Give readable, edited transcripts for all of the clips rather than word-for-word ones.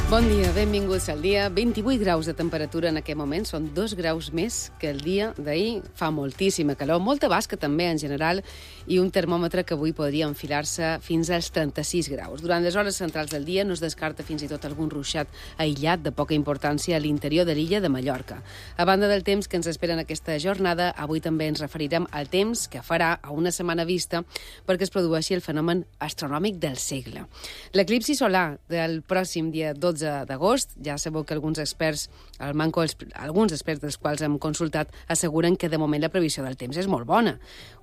Bon dia, benvinguts al dia. 28 graus de temperatura en aquest moment, són 2 graus més que el dia d'ahir. Fa moltíssima calor, molta basca també en general, i un termòmetre que avui podria enfilar-se fins als 36 graus. Durant les hores centrals del dia no es descarta fins i tot algun ruixat aïllat de poca importància a l'interior de l'illa de Mallorca. A banda del temps que ens espera en aquesta jornada, avui també ens referirem al temps que farà a una setmana vista perquè es produeixi el fenomen astronòmic del segle. L'eclipsi solar del pròxim dia 12 d'agost, ja sabeu que alguns experts dels quals hem consultat asseguren que de moment la previsió del temps és molt bona.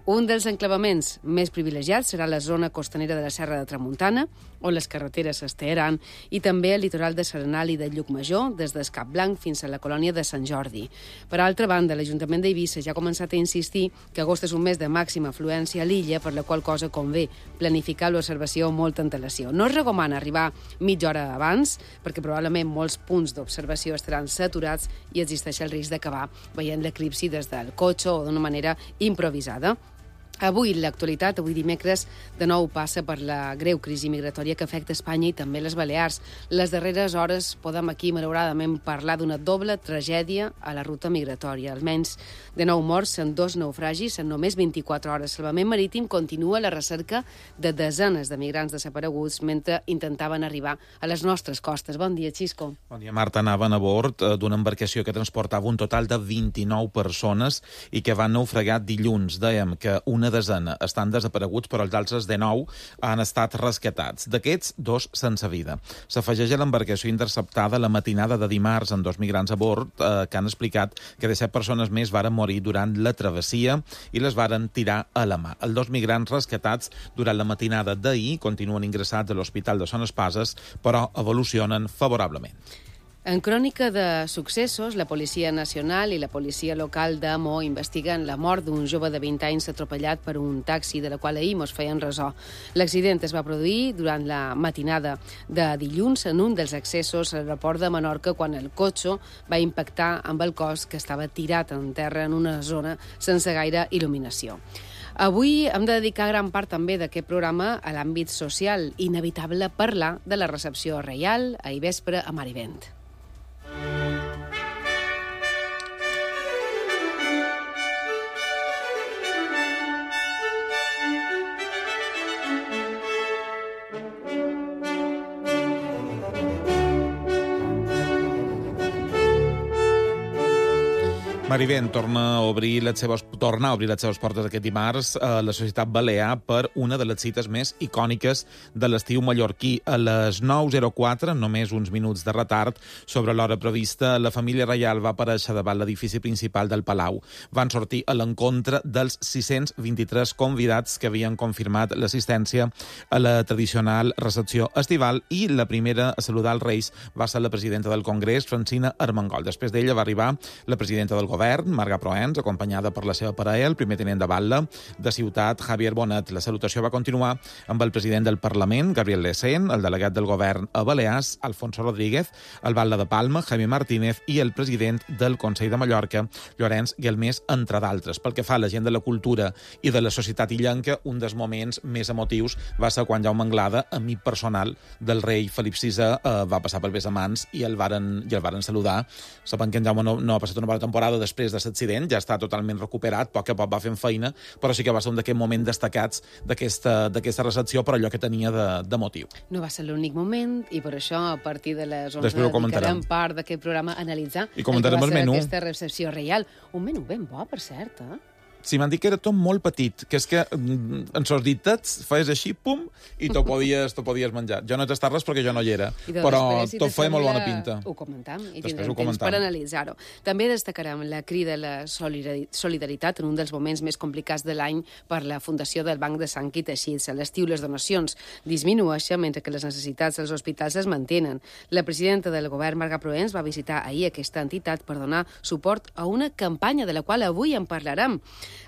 Un dels enclavaments més privilegiats serà la zona costanera de la Serra de Tramuntana, on les carreteres s'estearan, i també el litoral de Serenal i de Llucmajor, des d'Escap Blanc fins a la colònia de Sant Jordi. Per altra banda, l'Ajuntament d'Eivissa ja ha començat a insistir que agost és un mes de màxima afluència a l'illa, per la qual cosa convé planificar l'observació amb molta antelació. No es recomana arribar mitja hora abans, perquè probablement molts punts d'observació estaran saturats i existeix el risc d'acabar veient l'eclipsi des del cotxe o d'una manera improvisada. Avui l'actualitat, avui dimecres, de nou passa per la greu crisi migratòria que afecta Espanya i també les Balears. Les darreres hores podem aquí, malauradament, parlar d'una doble tragèdia a la ruta migratòria. Almenys de 9 morts en 2 naufragis en només 24 hores. Salvament Marítim continua la recerca de desenes de migrants desapareguts mentre intentaven arribar a les nostres costes. Bon dia, Xisco. Bon dia, Marta. Anaven a bord d'una embarcació que transportava un total de 29 persones i que van naufragar dilluns. Dèiem que una desena estan desapareguts, però els altres 19 han estat rescatats. D'aquests, 2 sense vida. S'afegeix a l'embarcació interceptada la matinada de dimarts amb 2 migrants a bord que han explicat que 17 persones més varen morir durant la travessia i les varen tirar a la mà. Els 2 migrants rescatats durant la matinada d'ahir continuen ingressats a l'Hospital de Son Espases, però evolucionen favorablement. En crònica de successos, la Policia Nacional i la policia local d'Amo investiguen la mort d'un jove de 20 anys atropellat per un taxi, de la qual ahir mos feien ressò. L'accident es va produir durant la matinada de dilluns en un dels accessos a l'aeroport de Menorca, quan el cotxe va impactar amb el cos que estava tirat en terra en una zona sense gaire il·luminació. Avui hem de dedicar gran part també d'aquest programa a l'àmbit social. Inevitable parlar de la recepció reial ahir vespre a Marivent. Marivent torna a obrir les seves portes aquest dimarts a la Societat Balear per una de les cites més icòniques de l'estiu mallorquí. A les 9:04, només uns minuts de retard, sobre l'hora prevista, la família reial va aparèixer davant l'edifici principal del Palau. Van sortir a l'encontre dels 623 convidats que havien confirmat l'assistència a la tradicional recepció estival, i la primera a saludar els Reis va ser la presidenta del Congrés, Francina Armengol. Després d'ella va arribar la presidenta del Govern, Marga Proens, acompanyada per la seva parella, el primer tinent de batlle de Ciutat, Javier Bonet. La salutació va continuar amb el president del Parlament, Gabriel Lecén, el delegat del Govern a Balears, Alfonso Rodríguez, el batlle de Palma, Jaime Martínez, i el president del Consell de Mallorca, Llorenç Guelmés, entre d'altres. Pel que fa a la gent de la cultura i de la societat illenca, un dels moments més emotius va ser quan Jaume Anglada, amic personal del rei Felip VI, va passar pel Besamans i el varen saludar. Saben que en Jaume no ha passat una bona temporada després de l'accident, ja està totalment recuperat, poc a poc va fent feina, però sí que va ser un d'aquests moments destacats d'aquesta recepció, per allò que tenia de motiu. No va ser l'únic moment, i per això a partir de les 11 dedicarem part d'aquest programa a analitzar el que va ser aquesta recepció reial. Un menú ben bo, per cert, Si m'han dit que era tot molt petit, que és que en sos ditets feies així, pum, i t'ho podies menjar. Jo no he tastat res perquè jo no hi era, però tot feia molt bona pinta. Ho comentam i tindrem temps per analitzar-ho. També destacarem la crida a la solidaritat en un dels moments més complicats de l'any per la Fundació del Banc de Sang i Teixits. A l'estiu les donacions disminueixen mentre que les necessitats dels hospitals es mantenen. La presidenta del Govern, Marga Proens, va visitar ahir aquesta entitat per donar suport a una campanya de la qual avui en parlarem.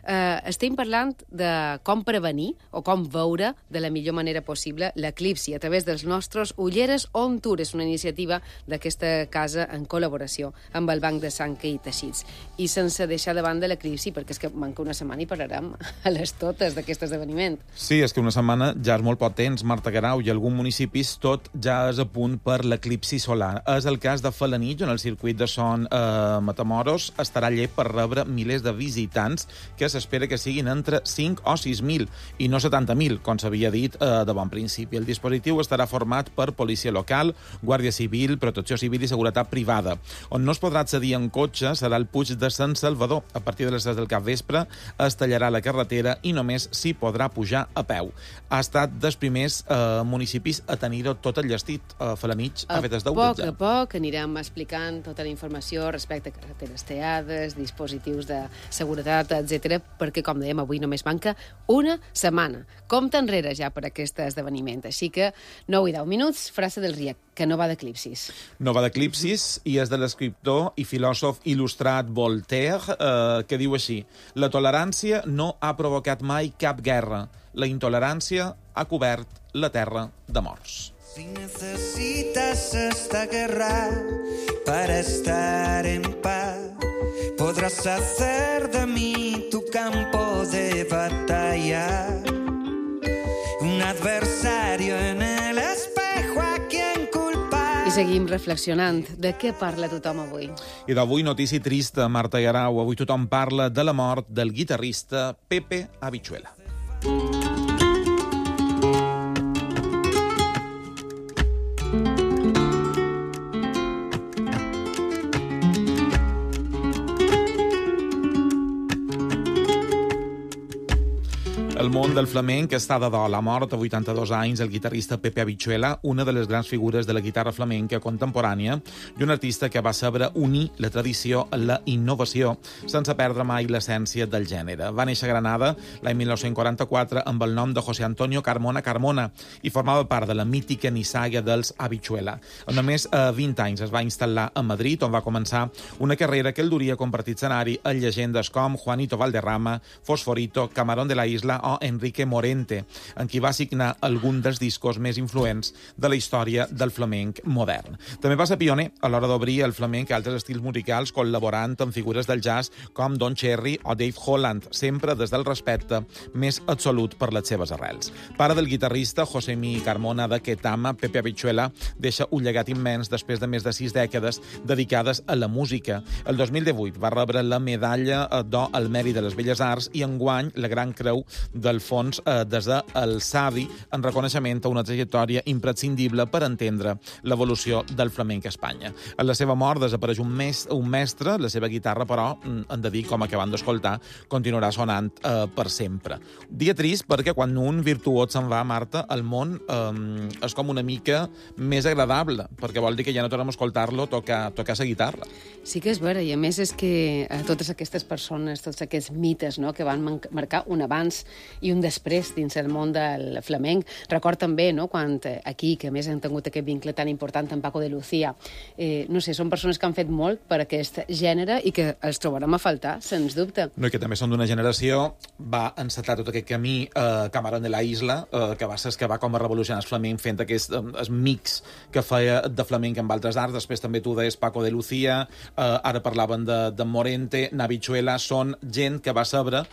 Estem parlant de com prevenir o com veure de la millor manera possible l'eclipsi a través dels nostres ulleres on tour. És una iniciativa d'aquesta casa en col·laboració amb el Banc de Sang i Teixits. I sense deixar de banda l'eclipsi, perquè és que manca una setmana i parlarem a les totes d'aquest esdeveniment. Sí, és que una setmana ja és molt poc temps, Marta Guerau, i alguns municipis tot ja és a punt per l'eclipsi solar. És el cas de Felanitx, on el circuit de Son Matamoros estarà llest per rebre milers de visitants que s'espera que siguin entre 5 o 6.000 i no 70.000, com s'havia dit de bon principi. El dispositiu estarà format per policia local, Guàrdia Civil, Protecció Civil i Seguretat Privada. On no es podrà accedir en cotxe serà el Puig de Sant Salvador. A partir de les 3 del capvespre es tallarà la carretera i només s'hi podrà pujar a peu. Ha estat dels primers municipis a tenir-ho tot enllestit. Felanitx ha fet el deute ja. A poc anirem explicant tota la informació respecte a carreteres teades, dispositius de seguretat, etc, perquè, com dèiem, avui només manca una setmana. Compte enrere ja per aquest esdeveniment. Així que 9 i 10 minuts, frase del Riec, que no va d'eclipsis. No va d'eclipsis i és de l'escriptor i filòsof il·lustrat Voltaire, que diu així: la tolerància no ha provocat mai cap guerra. La intolerància ha cobert la terra de morts. Si necesitas esta guerra para estar en paz, podrás hacer de mí tu campo de batalla, un adversario en el espejo a quien culpar. I seguim reflexionant. De què parla tothom avui? I d'avui notícia trista, Marta Guerau. Avui tothom parla de la mort del guitarrista Pepe Habichuela. El món del flamenc està de dol. Ha mort a 82 anys el guitarrista Pepe Habichuela, una de les grans figures de la guitarra flamenca contemporània i un artista que va saber unir la tradició a la innovació sense perdre mai l'essència del gènere. Va néixer a Granada l'any 1944 amb el nom de José Antonio Carmona Carmona i formava part de la mítica nissaga dels Habichuela. A només 20 anys es va instal·lar a Madrid, on va començar una carrera que el duria a compartir escenari a llegendes com Juanito Valderrama, Fosforito, Camarón de la Isla o Enrique Morente, en qui va signar algun dels discos més influents de la història del flamenc modern. També va ser pioner a l'hora d'obrir el flamenc a altres estils musicals, col·laborant amb figures del jazz com Don Cherry o Dave Holland, sempre des del respecte més absolut per les seves arrels. Pare del guitarrista Josemi Carmona de Ketama, Pepe Habichuela deixa un llegat immens després de més de 6 dècades dedicades a la música. El 2018 va rebre la medalla d'or al mèrit de les Belles Arts i enguany la Gran Creu del Fons des del Savi en reconeixement a una trajectòria imprescindible per entendre l'evolució del flamenc a Espanya. A la seva mort desapareix un mestre, la seva guitarra, però, hem de dir, com acabem d'escoltar, continuarà sonant per sempre. Dia trist perquè quan un virtuós se'n va, Marta, el món és com una mica més agradable, perquè vol dir que ja no tornem a escoltar-lo tocar la guitarra. Sí que és vera, i a més és que totes aquestes persones, tots aquests mites, no?, que van marcar un abans i un després dins el món del flamenc. Record també, no?, quan aquí, que a més han tingut aquest vincle tan important amb Paco de Lucía, no sé, són persones que han fet molt per aquest gènere i que els trobarem a faltar, sens dubte. No, i que també són d'una generació, va encetar tot aquest camí Camarón de la Isla, que va ser que va com a revolucionar el flamenc fent aquest mix que feia de flamenc amb altres arts. Després també tu deies Paco de Lucía, ara parlaven de Morente, Habichuela, són gent que va saber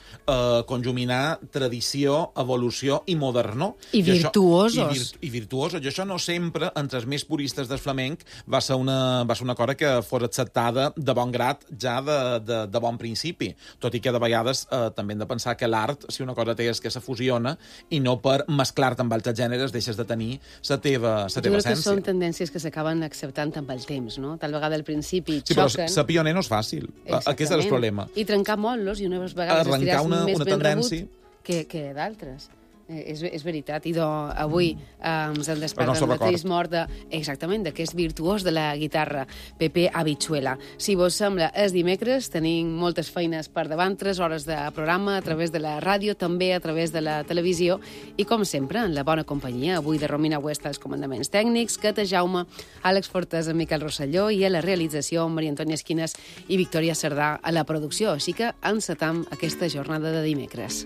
conjuminar tradició, evolució i modernó. I virtuosos. I virtuosos. I això no sempre, entre els més puristes del flamenc, va ser una cosa que fos acceptada de bon grat ja de bon principi. Tot i que de vegades també hem de pensar que l'art, si una cosa té és que se fusiona i no per mesclar-te amb altres gèneres deixes de tenir la teva essència. Jo crec que són tendències que s'acaben acceptant amb el temps, no? Tal vegada al principi xoquen. Sí, però ser pioner no és fàcil. Aquest és el problema. I trencar molt-los i unes vegades arrencar una tendència que d'altres. És veritat. I avui ens en despertem de trist mort exactament, d'aquest virtuós de la guitarra, Pepe Habichuela. Si vos sembla, és dimecres, tenim moltes feines per davant, 3 hores de programa a través de la ràdio, també a través de la televisió, i com sempre, en la bona companyia, avui de Romina Huesta als comandaments tècnics, Cata Jaume, Àlex Fortes, Miquel Rosselló, i a la realització, Maria Antònia Esquines i Victòria Cerdà a la producció. Així que encetam aquesta jornada de dimecres.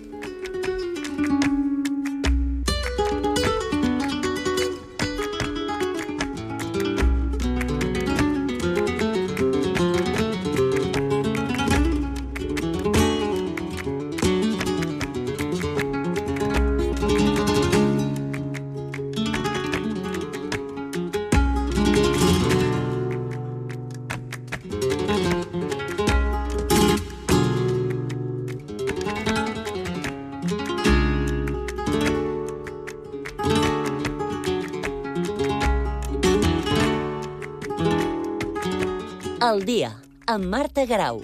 Al dia, amb Marta Garau.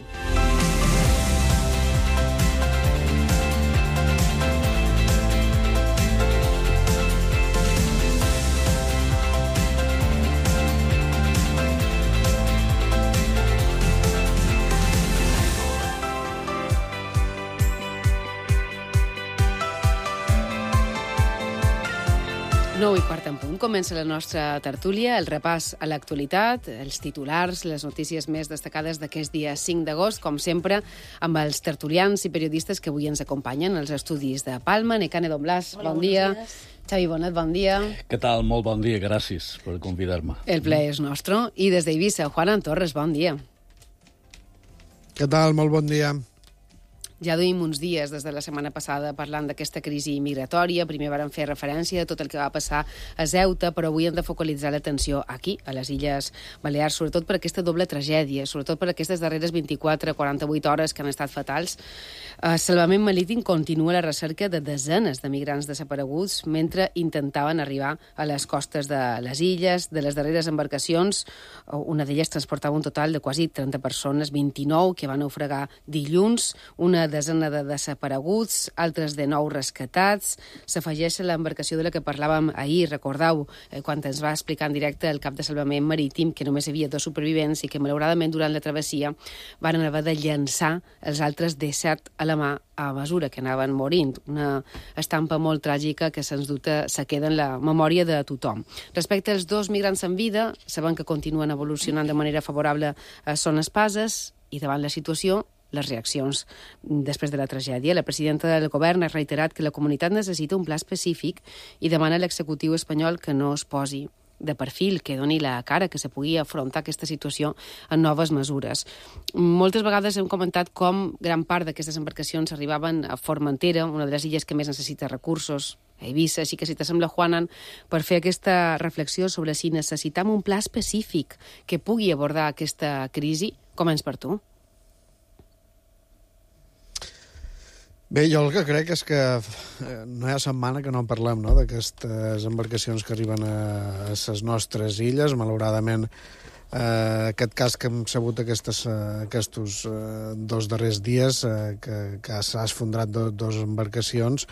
Nou i quart en punt. Comença la nostra tertúlia, el repàs a l'actualitat, els titulars, les notícies més destacades d'aquest dia 5 d'agost, com sempre, amb els tertulians i periodistes que avui ens acompanyen als estudis de Palma. Necane Don Blas, bon dia. Xavi Bonet, bon dia. Què tal? Molt bon dia, gràcies per convidar-me. El plaer és nostre. I des d'Eivissa, Juan Torres, bon dia. Què tal? Molt bon dia. Ja duim uns dies des de la setmana passada parlant d'aquesta crisi migratòria. Primer vàrem fer referència a tot el que va passar a Ceuta, però avui hem de focalitzar l'atenció aquí, a les Illes Balears, sobretot per aquesta doble tragèdia, sobretot per aquestes darreres 24-48 hores que han estat fatals. Salvament Marítim continua la recerca de desenes de migrants desapareguts mentre intentaven arribar a les costes de les illes. De les darreres embarcacions, una d'elles transportava un total de quasi 30 persones, 29 que van naufragar dilluns, una desena de desapareguts, altres de 9 rescatats. S'afegeix a l'embarcació de la que parlàvem ahir, recordeu, quan ens va explicar en directe el cap de Salvament Marítim que només hi havia 2 supervivents i que malauradament durant la travessia van haver de llançar els altres 17 a la mà a mesura que anaven morint. Una estampa molt tràgica que sens dubte se queda en la memòria de tothom. Respecte als 2 migrants en vida, sabem que continuen evolucionant de manera favorable a Son Espases i davant la situació les reaccions després de la tragèdia. La presidenta del govern ha reiterat que la comunitat necessita un pla específic i demana a l'executiu espanyol que no es posi de perfil, que doni la cara, que se pugui afrontar aquesta situació amb noves mesures. Moltes vegades hem comentat com gran part d'aquestes embarcacions arribaven a Formentera, una de les illes que més necessita recursos, a Eivissa, així que si t'assembla, Juanan, per fer aquesta reflexió sobre si necessitam un pla específic que pugui abordar aquesta crisi, comença per tu. Bé, jo el que crec és que no hi ha setmana que no en parlem, no?, d'aquestes embarcacions que arriben a les nostres illes. Malauradament, aquest cas que hem sabut aquests 2 darrers dies, que s'ha esfondrat 2 embarcacions,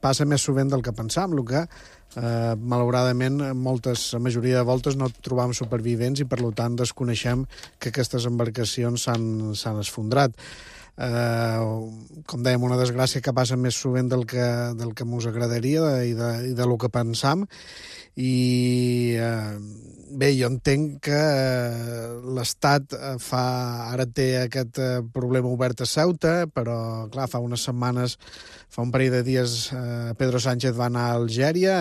passa més sovint del que pensam, el que malauradament la majoria de voltes no trobam supervivents i per tant desconeixem que aquestes embarcacions s'han esfondrat. Com dèiem, una desgràcia que passa més sovint del que mos agradaria i de lo que pensam. I bé, jo entenc que l'Estat ara té aquest problema obert a Ceuta, però clar, fa unes setmanes, fa un parell de dies, Pedro Sánchez va anar a Algèria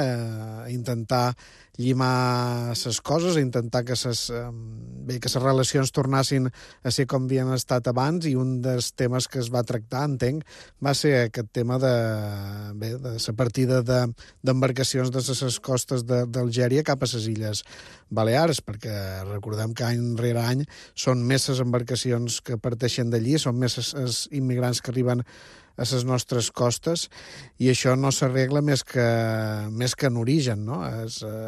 a intentar llimar les coses, a intentar que les relacions tornassin a ser com havien estat abans, i un dels temes que es va tractar, entenc, va ser aquest tema de la partida d'embarcacions de les costes d'Algèria cap a les Illes Balears, perquè recordem que any rere any són més les embarcacions que parteixen d'allí, són més els immigrants que arriben a les nostres costes, i això no s'arregla més que en origen, no?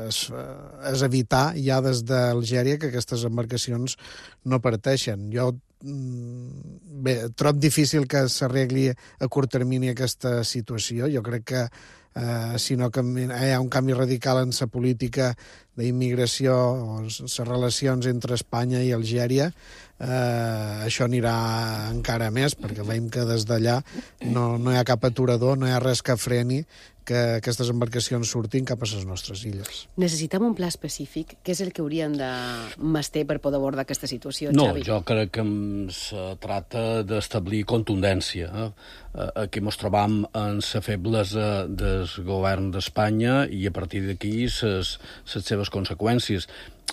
És evitar ja des d'Algèria que aquestes embarcacions no parteixen. Jo trob difícil que s'arregli a curt termini aquesta situació. Jo crec que si no hi ha un canvi radical en la política d'immigració o les relacions entre Espanya i Algèria, això anirà encara més, perquè veiem que des d'allà no hi ha cap aturador, no hi ha res que freni que aquestes embarcacions surtin cap a les nostres illes. Necessitem un pla específic. Què és el que hauríem de mastir per poder abordar aquesta situació, No, Xavi? jo crec que se tracta d'establir contundència. Aquí ens trobam en les febles del govern d'Espanya i a partir d'aquí les seves conseqüències.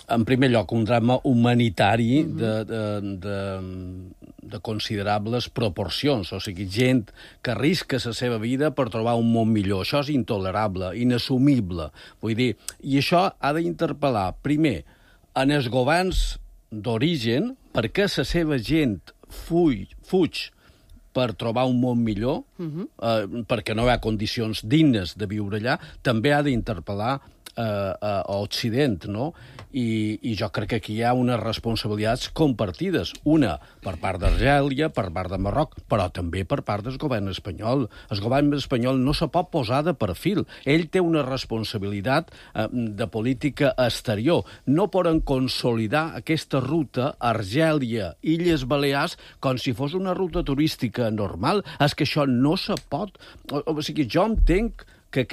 En primer lloc, un drama humanitari de considerables proporcions, o sigui, gent que arrisca la seva vida per trobar un món millor. Això és intolerable, inassumible. Vull dir, i això ha d'interpel·lar, primer, en els governs d'origen, perquè la seva gent fuig per trobar un món millor, perquè no hi ha condicions dignes de viure allà, també ha d'interpel·lar a Occident, no? I jo crec que aquí hi ha unes responsabilitats compartides. Una per part d'Argèlia, per part de Marroc, però també per part del govern espanyol. El govern espanyol no se pot posar de perfil. Ell té una responsabilitat de política exterior. No poden consolidar aquesta ruta Argèlia, Illes Balears, com si fos una ruta turística normal. És que això no se pot. O sigui, jo entenc que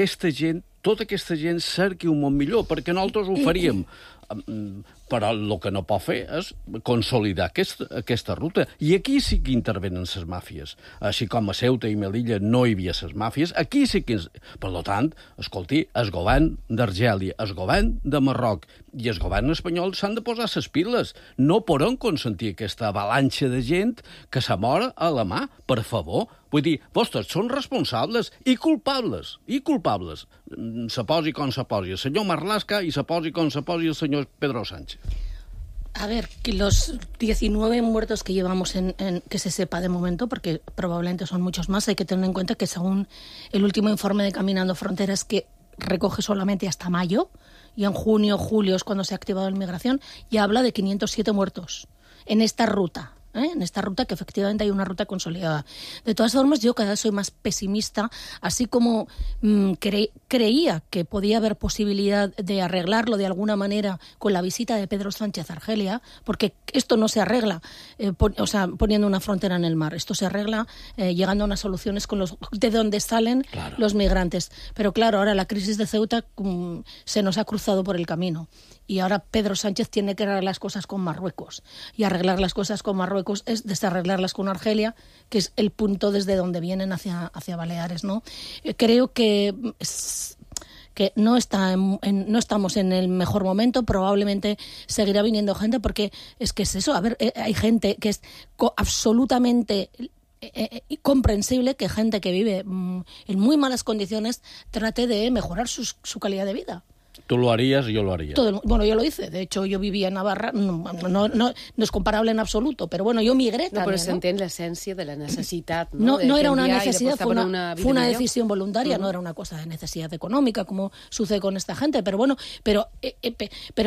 tota aquesta gent cerqui un món millor, perquè nosaltres ho faríem. Però el que no pot fer és consolidar aquesta ruta. I aquí sí que intervenen les màfies. Així com a Ceuta i Melilla no hi havia les màfies, aquí sí que... Per tant, escolti, el govern d'Argèlia, el govern de Marroc i el govern espanyol s'han de posar les piles. No poden consentir aquesta avalanxa de gent que se mor a la mà, per favor. Vull dir, vostres són responsables i culpables. Se posi com se posi el senyor Marlaska i se posi com se posi el senyor Pedro Sánchez. A ver, que los 19 muertos que llevamos que se sepa de momento, porque probablemente son muchos más, hay que tener en cuenta que según el último informe de Caminando Fronteras, que recoge solamente hasta mayo, y en junio, julio es cuando se ha activado la inmigración, ya habla de 507 muertos en esta ruta. En esta ruta, que efectivamente hay una ruta consolidada. De todas formas, yo cada vez soy más pesimista, así como creía que podía haber posibilidad de arreglarlo de alguna manera con la visita de Pedro Sánchez a Argelia, porque esto no se arregla poniendo una frontera en el mar, esto se arregla llegando a unas soluciones de donde salen los migrantes. Pero claro, ahora la crisis de Ceuta se nos ha cruzado por el camino. Y ahora Pedro Sánchez tiene que arreglar las cosas con Marruecos. Y arreglar las cosas con Marruecos es desarreglarlas con Argelia, que es el punto desde donde vienen hacia Baleares, ¿no? Creo que no estamos en el mejor momento. Probablemente seguirá viniendo gente, porque es eso. A ver, hay gente que es absolutamente comprensible que gente que vive en muy malas condiciones trate de mejorar su calidad de vida. Tú lo harías y yo lo haría. Bueno, yo lo hice. De hecho, yo vivía en Navarra. No es comparable en absoluto, pero bueno, yo migré también. Però s'entén l'essència de la necessitat. No era una necesidad, fue una decisión voluntaria, no era una cosa de necesidad económica, como sucede con esta gente. Pero bueno, pero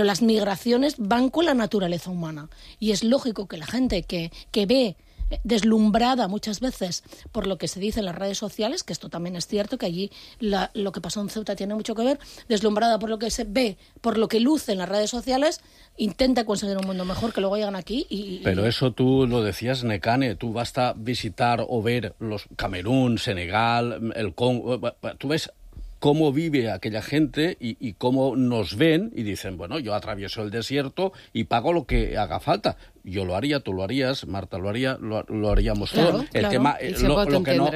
las migraciones van con la naturaleza humana. Y es lógico que la gente que ve deslumbrada muchas veces por lo que se dice en las redes sociales, que esto también es cierto, que allí lo que pasó en Ceuta tiene mucho que ver, deslumbrada por lo que se ve, por lo que luce en las redes sociales, intenta conseguir un mundo mejor, que luego llegan aquí Pero eso tú lo decías, Nekane, tú vas a visitar o ver los Camerún, Senegal, el Congo, tú ves cómo vive aquella gente y cómo nos ven y dicen, bueno, yo atravieso el desierto y pago lo que haga falta. Yo lo haría, tú lo harías, Marta lo haría, lo haríamos todos. El tema,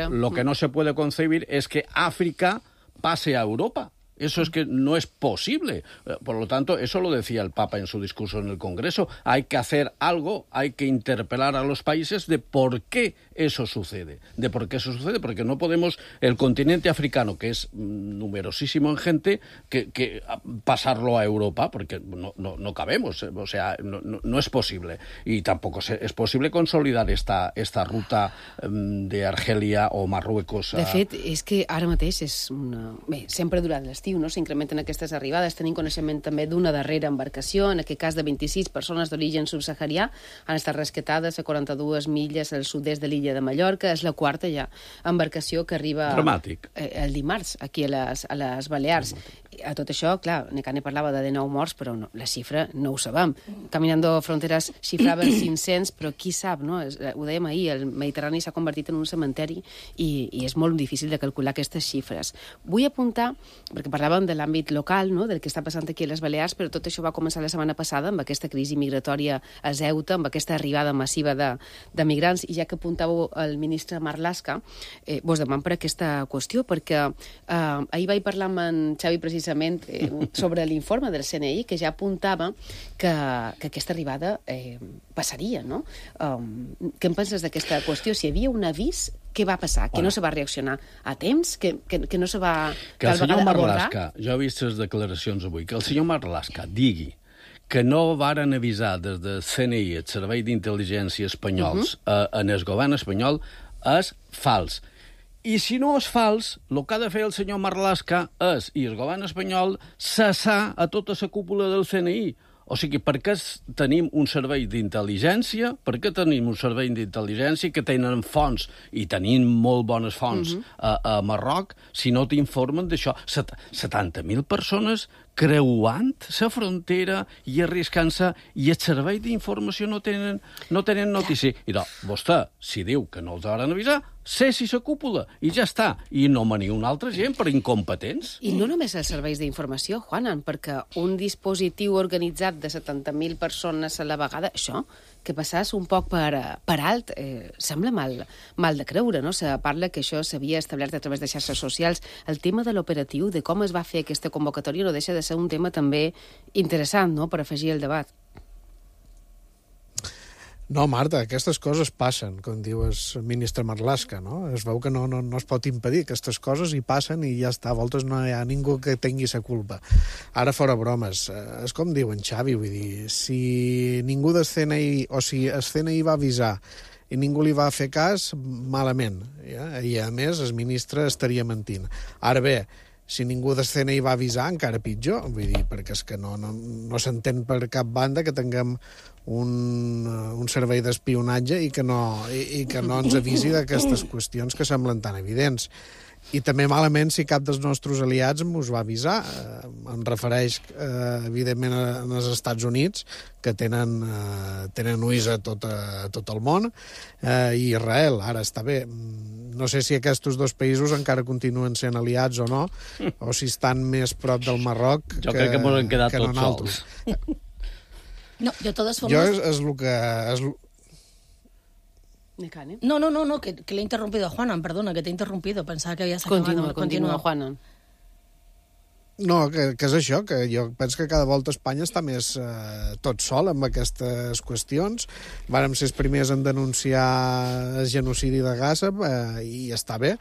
lo que no se puede concebir es que África pase a Europa. Eso es que no es posible. Por lo tanto, eso lo decía el Papa en su discurso en el Congreso. Hay que hacer algo, hay que interpelar a los países de por qué eso sucede. Porque no podemos, el continente africano, que es numerosísimo en gente, que pasarlo a Europa, porque no cabemos. O sea, no es posible. Y tampoco es posible consolidar esta ruta de Argelia o Marruecos. De fet, és que ara mateix és una... Bé, sempre durant les l'estiu, no? S'incrementen aquestes arribades. Tenim coneixement també d'una darrera embarcació, en aquest cas de 26 persones d'origen subsaharià, han estat rescatades a 42 milles al sud-est de l'illa de Mallorca. És la quarta ja embarcació que arriba Dramàtic. El dimarts aquí a les Balears. A tot això, clar, Necane parlava de 19 morts, però no, la xifra no ho sabem. Caminando Fronteras xifrava 500, però qui sap, no? Ho dèiem ahir, el Mediterrani s'ha convertit en un cementeri i és molt difícil de calcular aquestes xifres. Vull apuntar, perquè parlàvem de l'àmbit local, no? Del que està passant aquí a les Balears, però tot això va començar la setmana passada amb aquesta crisi migratòria a Ceuta, amb aquesta arribada massiva de migrants, i ja que apuntàveu el ministre Marlaska, vos demano per aquesta qüestió, perquè ahir vaig parlar amb en Xavi precisament sobre l'informe del CNI, que ja apuntava que aquesta arribada passaria, no? Què en penses d'aquesta qüestió? Si hi havia un avís, què va passar? Que no se va reaccionar a temps? Que no se va... Que el senyor Marlaska, jo he vist les declaracions avui, que el senyor Marlaska digui que no varen avisar des del CNI, el Servei d'Intel·ligència espanyols, en el govern espanyol, és fals. I si no és fals, el que ha de fer el senyor Marlaska és, i el govern espanyol, cessar a tota la cúpula del CNI. O sigui, per què tenim un servei d'intel·ligència? Per què tenim un servei d'intel·ligència que tenen fonts, i tenim molt bones fonts a Marroc, si no t'informen d'això? 70.000 persones creuant la frontera i arriscant-se, i el servei d'informació no tenen notícia. I doncs, vostè, si diu que no els hauran avisar, cessi la cúpula, i ja està. I no mani una altra gent per incompetents. I no només els serveis d'informació, Juanan, perquè un dispositiu organitzat de 70.000 persones a la vegada, això, que passàs un poc per alt, sembla mal de creure, no? Se parla que això s'havia establert a través de xarxes socials. El tema de l'operatiu, de com es va fer aquesta convocatòria, no deixa de ser un tema també interessant, no?, per afegir el debat. No, Marta, aquestes coses passen, com diu el ministre Marlaska, no? Es veu que no es pot impedir aquestes coses, i passen i ja està. A voltes no hi ha ningú que tingui la culpa. Ara, fora bromes, és com diu en Xavi, vull dir, si ningú del CNI, o si el CNI va avisar i ningú li va fer cas, malament. Ja? I, a més, el ministre estaria mentint. Ara bé, si ningú del CNI va avisar, encara pitjor, vull dir, perquè és que no s'entén per cap banda que tinguem un servei d'espionatge i que no ens avisi d'aquestes qüestions que semblen tan evidents. I també malament si cap dels nostres aliats us va avisar. Em refereix, evidentment, als Estats Units, que tenen ulls a tot el món, i Israel. Ara, està bé, no sé si aquests dos països encara continuen sent aliats o no, o si estan més prop del Marroc jo crec que ens hem quedat tots sols. No, de todas formas... Jo és el que... No, que le he interrumpido a Juanan, perdona, que te he interrumpido, pensaba que habías acabado. Continua, Juanan. No, que és això, que jo penso que cada volta Espanya està més tot sol amb aquestes qüestions. Vàrem ser els primers en denunciar el genocidi de Gaza, i està bé,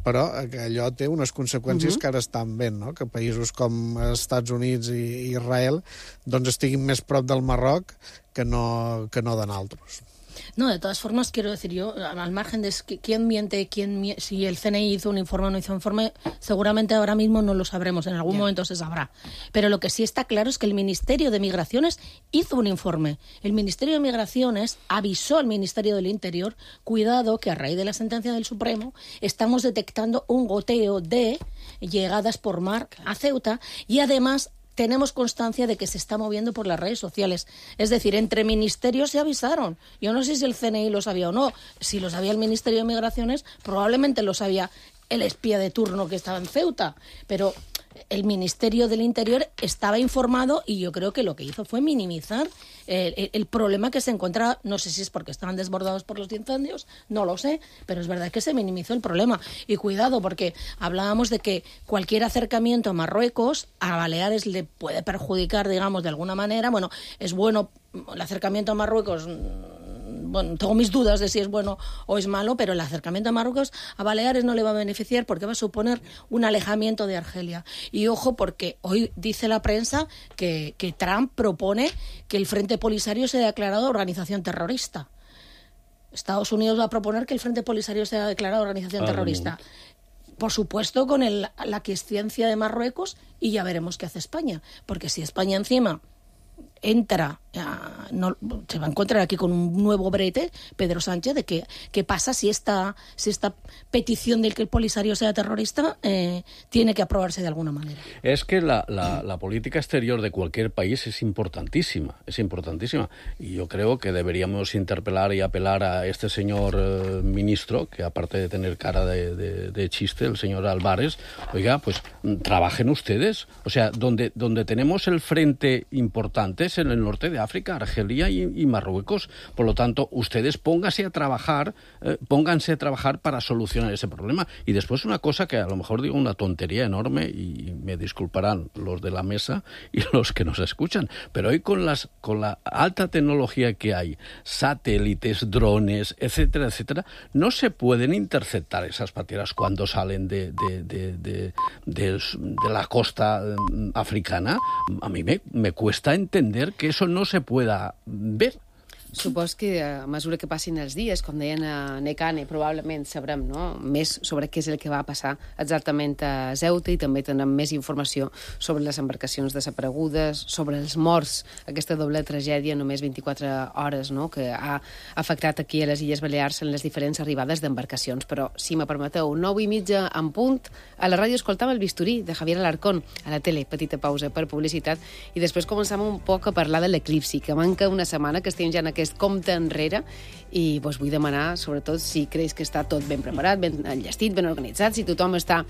però que allò té unes conseqüències que ara estan ben, no? Que països com els Estats Units i Israel doncs estiguin més prop del Marroc que no de naltros. No, de todas formas, quiero decir yo, al margen de quién miente, si el CNI hizo un informe o no hizo un informe, seguramente ahora mismo no lo sabremos, en algún momento se sabrá. Pero lo que sí está claro es que el Ministerio de Migraciones hizo un informe. El Ministerio de Migraciones avisó al Ministerio del Interior, cuidado, que a raíz de la sentencia del Supremo estamos detectando un goteo de llegadas por mar a Ceuta, y además tenemos constancia de que se está moviendo por las redes sociales. Es decir, entre ministerios se avisaron. Yo no sé si el CNI lo sabía o no. Si lo sabía el Ministerio de Migraciones, probablemente lo sabía el espía de turno que estaba en Ceuta. Pero el Ministerio del Interior estaba informado, y yo creo que lo que hizo fue minimizar el problema que se encontraba. No sé si es porque estaban desbordados por los incendios, no lo sé, pero es verdad que se minimizó el problema. Y cuidado, porque hablábamos de que cualquier acercamiento a Marruecos, a Baleares le puede perjudicar, digamos, de alguna manera. Bueno, es bueno el acercamiento a Marruecos. Bueno, tengo mis dudas de si es bueno o es malo, pero el acercamiento a Marruecos a Baleares no le va a beneficiar, porque va a suponer un alejamiento de Argelia. Y ojo, porque hoy dice la prensa que Trump propone que el Frente Polisario sea declarado organización terrorista. Estados Unidos va a proponer que el Frente Polisario sea declarado organización terrorista. por supuesto, con la quiescencia de Marruecos, y ya veremos qué hace España. Porque si España encima entra, se va a encontrar aquí con un nuevo brete, Pedro Sánchez, de qué pasa si esta petición de que el Polisario sea terrorista tiene que aprobarse de alguna manera. Es que la política exterior de cualquier país es importantísima, y yo creo que deberíamos interpelar y apelar a este señor ministro, que aparte de tener cara de chiste, el señor Álvarez, oiga, pues trabajen ustedes, o sea, donde tenemos el frente importante es en el norte de África, Argelia y Marruecos. Por lo tanto, ustedes pónganse a trabajar para solucionar ese problema. Y después una cosa que a lo mejor digo una tontería enorme, y me disculparán los de la mesa y los que nos escuchan, pero hoy con la alta tecnología que hay, satélites, drones, etcétera, etcétera, no se pueden interceptar esas pateras cuando salen de la costa africana. A mí me cuesta entender que eso no se pueda ver. Supos que a mesura que passin els dies, com deien a Necane, probablement sabrem més sobre què és el que va passar exactament a Ceuta, i també tindrem més informació sobre les embarcacions desaparegudes, sobre els morts, aquesta doble tragèdia, només 24 hores, que ha afectat aquí a les Illes Balears en les diferents arribades d'embarcacions. Però, si me permeteu, 9:30 en punt, a la ràdio escoltava El Bisturí, de Javier Alarcón, a la tele, petita pausa per publicitat, i després començam un poc a parlar de l'eclipsi, que manca una setmana, que estem ja en aquest compte enrere, i vos vull demanar, sobretot, si creus que està tot ben preparat, ben enllestit, ben organitzat, si tothom està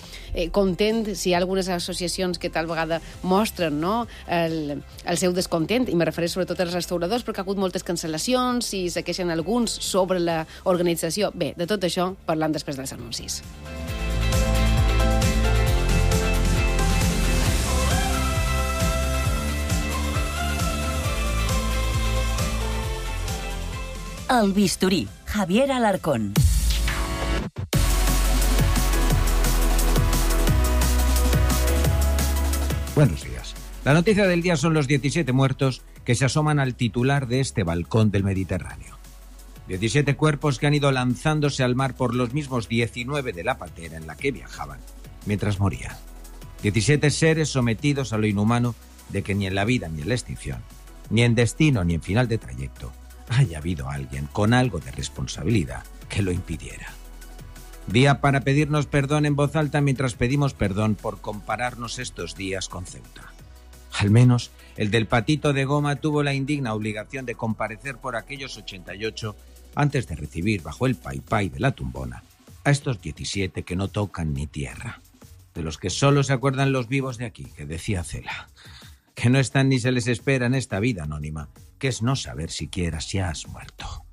content, si hi ha algunes associacions que tal vegada mostren el seu descontent, i me refereixo sobretot als restauradors, perquè ha hagut moltes cancel·lacions, i se queixen alguns sobre l'organització. Bé, de tot això parlant després dels anuncis. El Bisturí, Javier Alarcón. Buenos días. La noticia del día son los 17 muertos que se asoman al titular de este balcón del Mediterráneo. 17 cuerpos que han ido lanzándose al mar por los mismos 19 de la patera en la que viajaban mientras morían. 17 seres sometidos a lo inhumano de que ni en la vida ni en la extinción, ni en destino ni en final de trayecto, haya habido alguien con algo de responsabilidad que lo impidiera. Día para pedirnos perdón en voz alta mientras pedimos perdón por compararnos estos días con Ceuta. Al menos el del patito de goma tuvo la indigna obligación de comparecer por aquellos 88 antes de recibir bajo el paipay de la tumbona a estos 17 que no tocan ni tierra, de los que solo se acuerdan los vivos de aquí, que decía Cela, que no están ni se les espera en esta vida anónima, que es no saber siquiera si has muerto.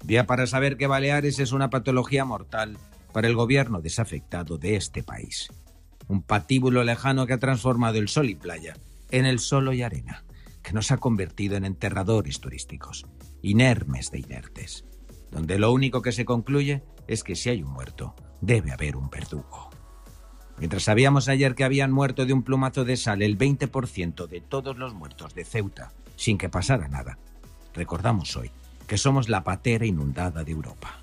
Día para saber que Baleares es una patología mortal para el gobierno desafectado de este país. Un patíbulo lejano que ha transformado el sol y playa en el solo y arena, que nos ha convertido en enterradores turísticos, inermes de inertes, donde lo único que se concluye es que si hay un muerto, debe haber un verdugo. Mientras sabíamos ayer que habían muerto de un plumazo de sal el 20% de todos los muertos de Ceuta, sin que pasara nada, recordamos hoy que somos la patera inundada de Europa.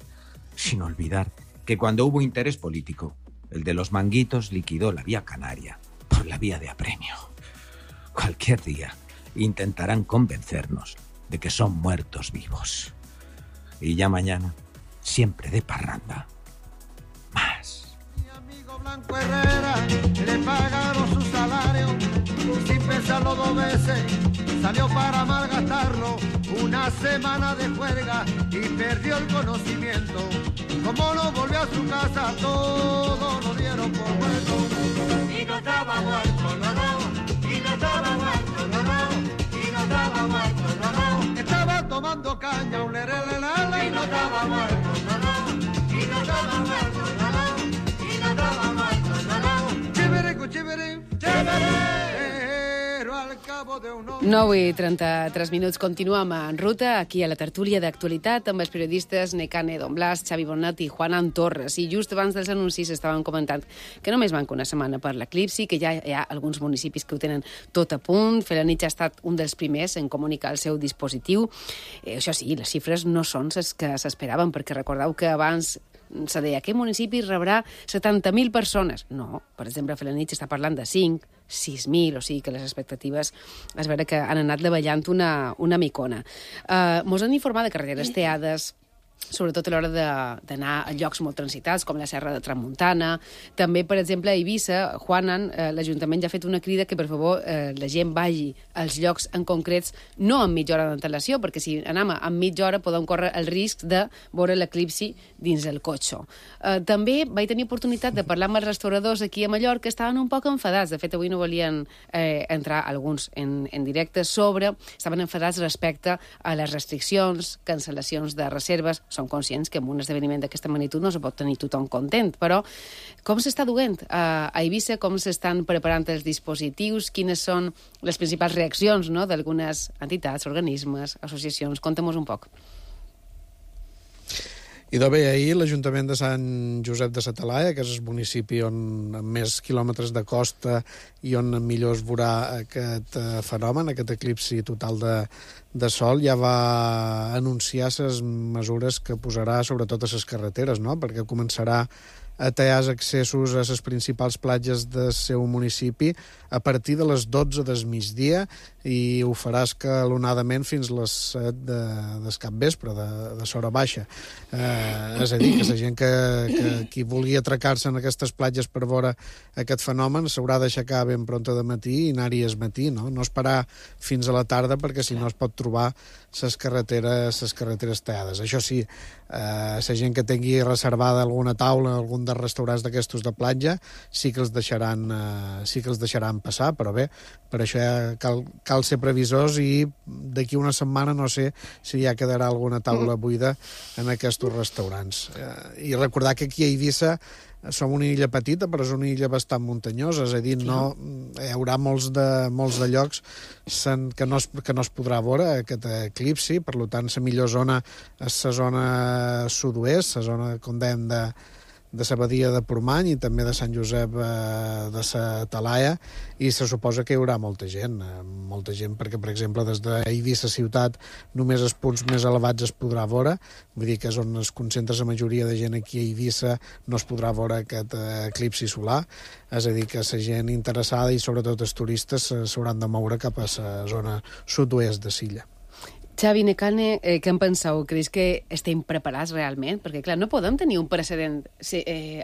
Sin olvidar que cuando hubo interés político, el de los manguitos liquidó la vía canaria por la vía de apremio. Cualquier día intentarán convencernos de que son muertos vivos. Y ya mañana, siempre de parranda, más. Mi amigo Blanco Herrera le pagaron su salario sin pensarlo dos veces. Salió para malgastarlo, una semana de juerga y perdió el conocimiento. Como no volvió a su casa, todo lo dieron por muerto. Y no estaba muerto, no, y no estaba muerto, no, y no estaba muerto, no. Estaba tomando caña, un lerelelele, y no estaba muerto, no, y no estaba muerto, no, y no estaba muerto, no. Chiviricu, chiviri, chiviri. 9:33 minuts. Continuem en ruta, aquí a la tertúlia d'actualitat, amb els periodistes Necane Don Blas, Xavi Bonat i Juan Antorres. I just abans dels anuncis estaven comentant que només manca una setmana per l'eclipsi, que ja hi ha alguns municipis que ho tenen tot a punt. Felanitx ha estat un dels primers en comunicar el seu dispositiu. Això sí, les xifres no són les que s'esperaven, perquè recordeu que abans se deia, aquest municipi rebrà 70.000 persones. No, per exemple, a Felanitx està parlant de 5, 6.000, o sigui que les expectatives es veure que han anat davallant una micona. Mos han informat de carreteres teades, sobretot a l'hora d'anar a llocs molt transitats, com la Serra de Tramuntana. També, per exemple, a Eivissa, Juanan, l'Ajuntament ja ha fet una crida que, per favor, la gent vagi als llocs en concrets, no amb mitja hora d'antelació, perquè si anem amb mitja hora podem córrer el risc de veure l'eclipsi dins el cotxe. També vaig tenir oportunitat de parlar amb els restauradors aquí a Mallorca, que estaven un poc enfadats. De fet, avui no volien entrar alguns en directe estaven enfadats respecte a les restriccions, cancel·lacions de reserves. Som conscients que en un esdeveniment d'aquesta magnitud no se pot tenir tothom content, però com s'està duent a Eivissa, com s'estan preparant els dispositius, quines són les principals reaccions, no?, d'algunes entitats, organismes, associacions? Contem-nos un poc. I bé, ahir l'Ajuntament de Sant Josep de sa Talaia, que és el municipi amb més quilòmetres de costa i on millor es veurà aquest fenomen, aquest eclipsi total de sol, ja va anunciar les mesures que posarà sobretot a les carreteres, no?, perquè començarà a tallar els accessos a les principals platges del seu municipi a partir de les 12 del migdia i ho farà escalonadament fins a les 7 del capvespre, de l'hora baixa. És a dir, que la gent que vulgui atracar-se en aquestes platges per veure aquest fenomen s'haurà d'aixecar ben pronta de matí i anar-hi al matí, no esperar fins a la tarda, perquè si no es pot trobar les carreteres tallades. Això sí, la gent que tingui reservada alguna taula, algun dels restaurants d'aquestos de platja, sí que els deixaran passar, però bé, per això ja cal ser previsors i d'aquí una setmana no sé si ja quedarà alguna taula buida en aquests restaurants. I recordar que aquí a Eivissa som una illa petita, però és una illa bastant muntanyosa, és a dir, hi haurà molts de llocs que no es podrà veure aquest eclipsi, per tant, la millor zona és la zona sud-oest, la zona, com dèiem, de la badia de Portmany i també de Sant Josep de sa Talaia, i se suposa que hi haurà molta gent perquè, per exemple, des d'Eivissa ciutat només els punts més elevats es podrà veure, vull dir que és on es concentra la majoria de gent aquí a Eivissa, no es podrà veure aquest eclipsi solar, és a dir, que la gent interessada i sobretot els turistes s'hauran de moure cap a la zona sud-oest de l'illa. Xavi Necane, què en penseu? Creus que estem preparats realment? Perquè, clar, no podem tenir un precedent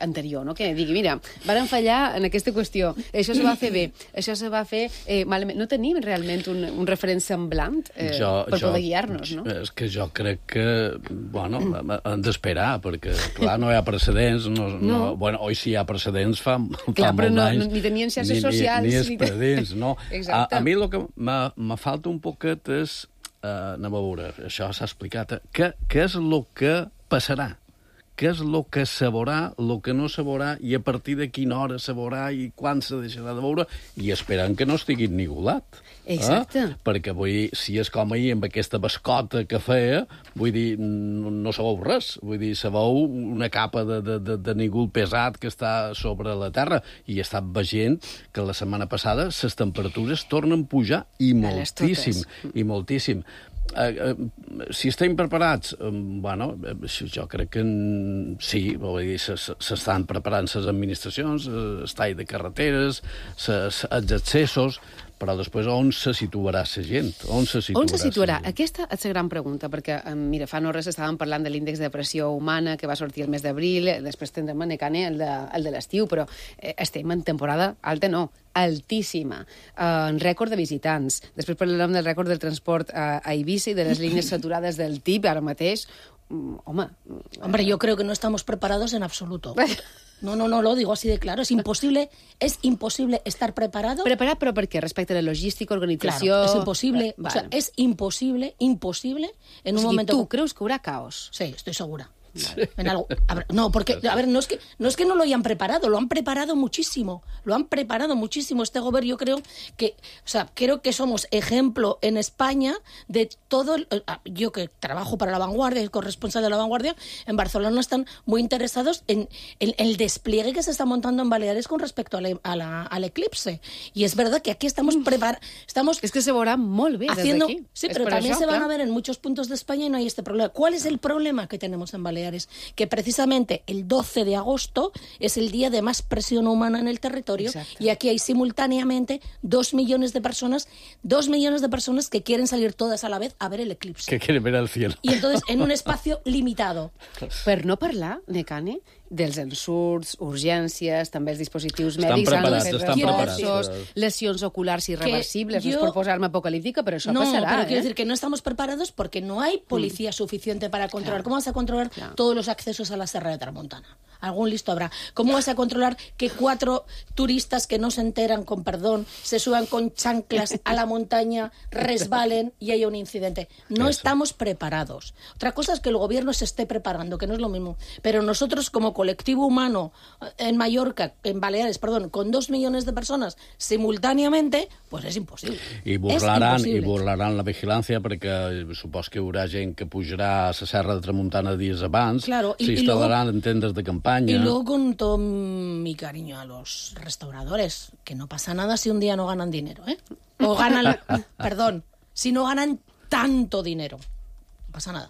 anterior, no?, que digui, mira, varen fallar en aquesta qüestió, això se va fer bé, això se va fer malament. No tenim realment un referent semblant per poder guiar-nos, no? És que jo crec que, bueno, han d'esperar, perquè, clar, no hi ha precedents. Bueno, oi sí hi ha precedents fa molts anys. Ni tenien xarxes socials. Ni expedients, no? Exacte. A mi el que me falta un poquet és anem a veure, això s'ha explicat. Què és el que passarà? Què és el que se veurà, el que no se veurà, i a partir de quina hora se veurà i quan se deixarà de veure, i esperant que no estigui nigolat. Exacte. Perquè, vull dir, si és com ahir amb aquesta bascota que feia, vull dir, no se veu res. Vull dir, se veu una capa de nígol pesat que està sobre la terra, i he estat veient que la setmana passada les temperatures tornen a pujar i moltíssim. Si estem preparats, bueno, jo crec que sí, vull dir, s'estan preparant les administracions, el tall de carreteres, els accessos, però després on se situarà la gent? On se situarà? Aquesta és la gran pregunta, perquè, mira, fa no res estàvem parlant de l'índex de pressió humana que va sortir el mes d'abril, després tindrem a Necane el de l'estiu, però estem en temporada alta, no, altíssima, en rècord de visitants. Després parlarem del rècord del transport a Eivissa i de les línies saturades del TIP ara mateix. Hombre, yo creo que no estamos preparados en absoluto. No, lo digo así de claro. Es imposible estar preparado. Preparat, però per què? Respecte a la logística, organització... Claro, es imposible. O sea, es imposible en un momento... ¿Tú crees que habrá caos? Sí, estoy segura. Vale. En algo. No, porque, no es que no lo hayan preparado, lo han preparado muchísimo. Este gobierno, yo creo que somos ejemplo en España de todo. Yo que trabajo para La Vanguardia, el corresponsal de La Vanguardia, en Barcelona están muy interesados en el despliegue que se está montando en Baleares con respecto al eclipse. Y es verdad que aquí estamos preparados. Es que se veurà molt bé haciendo, desde aquí. Sí, pero también se van a ver en muchos puntos de España y no hay este problema. ¿Cuál es el problema que tenemos en Baleares? Baleares, que precisamente el 12 de agosto es el día de más presión humana en el territorio. Exacto. Y aquí hay simultáneamente 2 millones de personas que quieren salir todas a la vez a ver el eclipse. Que quieren ver el cielo. Y entonces en un espacio limitado. Per no parlar, Necane, dels ensurts, urgències, també els dispositius estan mèdics... Estan preparats. Lesions oculars irreversibles, no es por posar-me apocalíptica, pero eso pasará. No, pero quiero decir que no estamos preparados porque no hay policía suficiente para controlar. ¿Cómo vas a controlar todos los accesos a la Serra de Tramontana? Algún listo habrá. ¿Cómo vas a controlar que 4 turistas que no se enteran, con perdón, se suban con chanclas a la montaña, resbalen y haya un incidente? No estamos preparados. Otra cosa es que el gobierno se esté preparando, que no es lo mismo. Pero nosotros, como colectivo humano en Mallorca, en Baleares, perdón, con 2 millones de personas simultáneamente, pues es imposible. I burlaran la vigilància perquè supos que hi haurà gent que pujarà a la Serra de Tramuntana dies abans, s'instal·laran en tendes de campanya... Y luego, con todo mi cariño a los restauradores, que no pasa nada si un día no ganan dinero, ¿eh? O ganan, perdón, si no ganan tanto dinero, no pasa nada.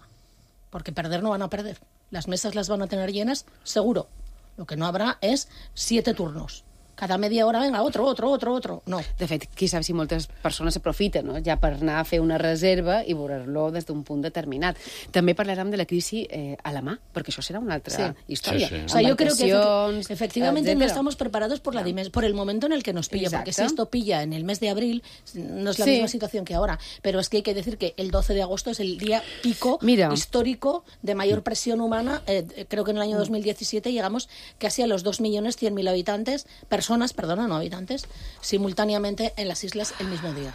Porque perder no van a perder. Las mesas las van a tener llenas, seguro. Lo que no habrá es 7 turnos. Cada media hora, venga, otro. No. De fet, qui sap si moltes persones s'aprofiten, no? Ja per anar a fer una reserva i veure-lo des d'un punt determinat. També parlarem de la crisi a la mà, perquè això serà una altra història. O sea, yo creo que efectivamente no estamos preparados por el momento en el que nos pilla, porque si esto pilla en el mes de abril, no es la misma situación que ahora. Pero es que hay que decir que el 12 de agosto es el día pico histórico de mayor presión humana. Creo que en el año 2017 llegamos casi a los 2.100.000 habitantes, no habitantes, simultàniament en les isles el mismo dia.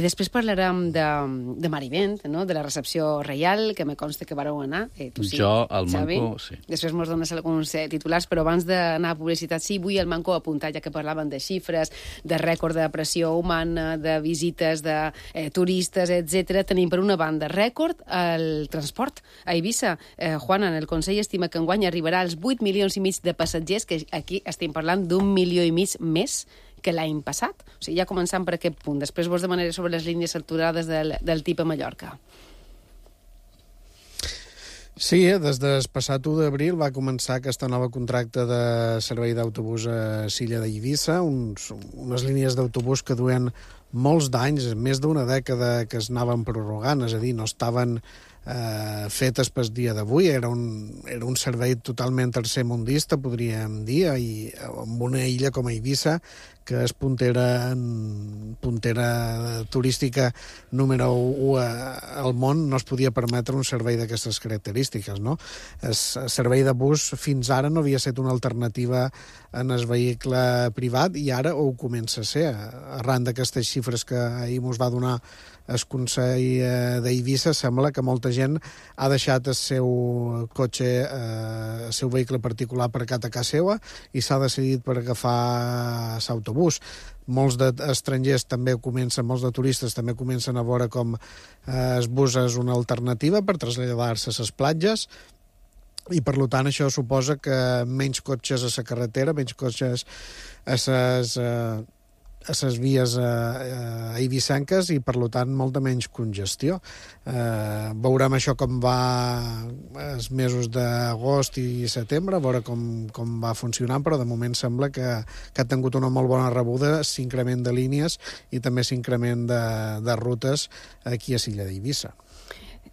Després parlarem de Marivent, no? De la recepció reial, que me consta que vareu anar. Tu sí, jo, al Xavi. Manco, sí. Després mos dones alguns titulars, però abans d'anar a publicitat, sí, vull al Manco apuntar, ja que parlaven de xifres, de rècord de pressió humana, de visites de turistes, etc. Tenim, per una banda, rècord el transport a Eivissa. Juana, en el Consell estima que enguany arribarà als 8,5 milions de passatgers, que aquí estem parlant d'1,5 milió més que l'any passat. O sigui, ja començant per aquest punt. Després vos demanaré sobre les línies saturades del TIP a Mallorca. Sí, des del passat 1 d'abril va començar aquesta nova contracte de servei d'autobús a Silla d'Eivissa, unes línies d'autobús que duen molts d'anys, més d'una dècada que es anaven prorrogant, és a dir, no estaven fetes pel dia d'avui, era un servei totalment tercermundista, podríem dir, i amb una illa com a Eivissa, que és puntera turística número 1 al món, no es podia permetre un servei d'aquestes característiques, no? El servei de bus fins ara no havia estat una alternativa en el vehicle privat i ara ho comença a ser. Arran d'aquestes xifres que ahir ens va donar el Consell d'Eivissa, sembla que molta gent ha deixat el seu cotxe, el seu vehicle particular aparcat a casa seva i s'ha decidit per agafar l'autobús. Molts d'estrangers també comencen, molts de turistes també comencen a veure com el bus és una alternativa per traslladar-se a les platges i, per tant, això suposa que menys cotxes a la carretera, menys cotxes a les vies eivissenques i, per tant, molta menys congestió. Veurem això com va els mesos d'agost i setembre, a veure com va funcionant, però de moment sembla que ha tingut una molt bona rebuda, s'increment de línies i també s'increment de rutes aquí a Silla d'Eivissa.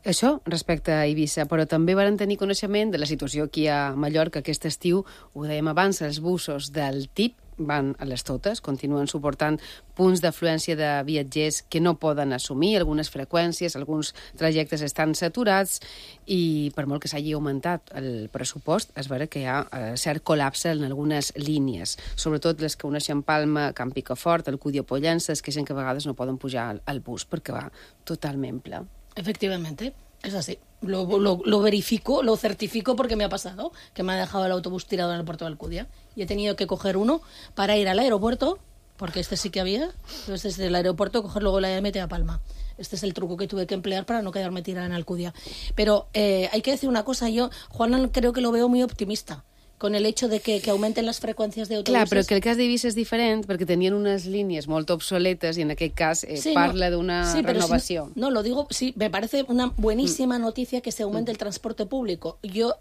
Això respecte a Eivissa, però també van tenir coneixement de la situació aquí a Mallorca aquest estiu. Ho dèiem abans, els busos del TIP van a les totes, continuen suportant punts d'afluència de viatgers que no poden assumir, algunes freqüències, alguns trajectes estan saturats i per molt que s'hagi augmentat el pressupost, es veurà que hi ha cert col·lapse en algunes línies, sobretot les que uneixen Palma, Camp Picafort, Alcúdia o Pollença, es queixen que a vegades no poden pujar al bus perquè va totalment ple. Efectivamente, es así. Lo verifico, lo certifico porque me ha pasado, que me ha dejado el autobús tirado en el puerto de Alcudia y he tenido que coger uno para ir al aeropuerto, porque este sí que había, entonces desde el aeropuerto coger luego la MT a Palma. Este es el truco que tuve que emplear para no quedarme tirada en Alcudia. Pero hay que decir una cosa, yo, Juana, creo que lo veo muy optimista con el hecho de que augmenten les freqüències d'autobusos. Clar, però que el cas d'Eivissa és diferent perquè tenien unes línies molt obsoletes i en aquest cas parla d'una renovació. No, lo digo, sí, me parece una buenísima noticia que se aumente el transporte público. Yo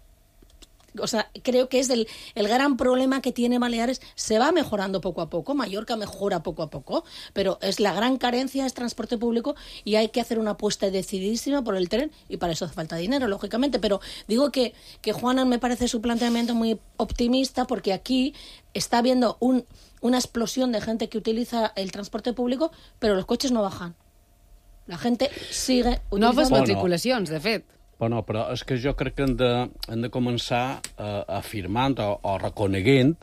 O sea, creo que es el gran problema que tiene Baleares. Se va mejorando poco a poco, Mallorca mejora poco a poco, pero es la gran carencia, es transporte público, y hay que hacer una apuesta decididísima por el tren, y para eso hace falta dinero, lógicamente. Pero digo que Juana, me parece su planteamiento muy optimista, porque aquí está habiendo una explosión de gente que utiliza el transporte público, pero los coches no bajan. La gente sigue utilitzant... Noves matriculacions, de fet. Bueno, però és que jo crec que hem de començar afirmant o reconeguent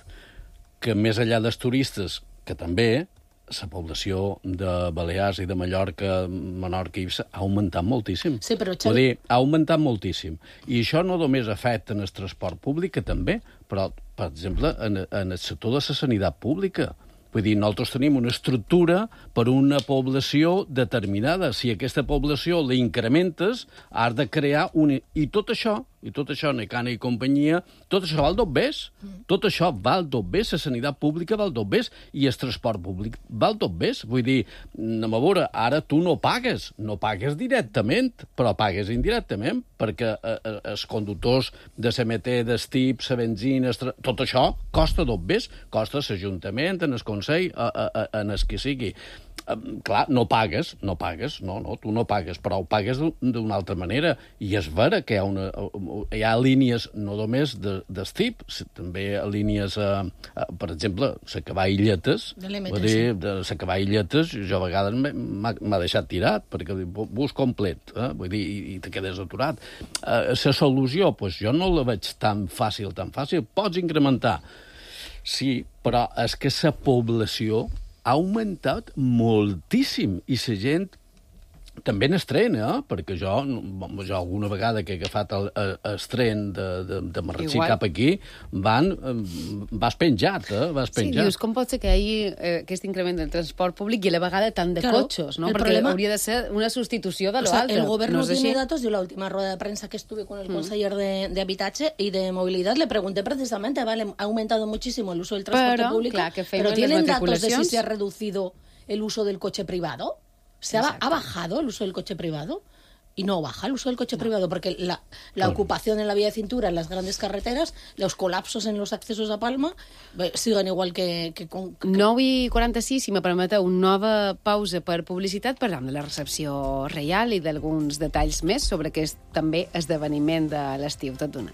que més enllà dels turistes, que també la població de Balears i de Mallorca, Menorca i Eivissa ha augmentat moltíssim. Sí, però... Vull dir, ha augmentat moltíssim. I això no només afecta en el transport públic, que també, però, per exemple, en el sector de la sanitat pública. Vull dir, nosaltres tenim una estructura per una població determinada. Si aquesta població la incrementes, has de crear una... I tot això, Necana i companyia, tot això val dos bes. Tot això val dos bes, la sanitat pública val dos bes, i el transport públic val dos bes. Vull dir, anem a veure, ara tu no pagues directament, però pagues indirectament, perquè els conductors de CMT, d'Estip, la benzina, tot això costa dos bes, costa l'Ajuntament, en el Consell, en el que sigui. Clar, no pagues, tu no pagues, però ho pagues d'una altra manera, i és vera que hi ha línies no només d'Estip, també línies, per exemple, la Cavall-Lletes, la Cavall-Lletes, jo a vegades m'ha deixat tirat, perquè bus complet, vull dir, i te quedes aturat. La solució, doncs jo no la veig tan fàcil, pots incrementar, sí, però és que la població ha augmentat moltíssim, i la gent també n'estrena, perquè jo alguna vegada que he agafat el tren de Marratxí cap aquí, vas penjat. Sí, dius, com pot ser que hi hagi aquest increment del transport públic i a la vegada tant de cotxes, no? Perquè hauria de ser una sustitució de l'altre. El gobierno tiene datos. Yo la última rueda de prensa que estuve con el conseller de Habitache y de Movilidad le pregunté precisamente, vale, ha aumentado muchísimo el uso del transporte público, pero ¿tienen datos de si se ha reducido el uso del coche privado? ¿Ha bajado el uso del coche privado? Y no baja el uso del coche privado, porque la ocupación en la vía de cintura, en las grandes carreteras, los colapsos en los accesos a Palma, siguen igual que 9:46, si me permeteu, una nova pausa per publicitat, parlant de la recepció reial i d'alguns detalls més sobre aquest també esdeveniment de l'estiu. Tot d'una.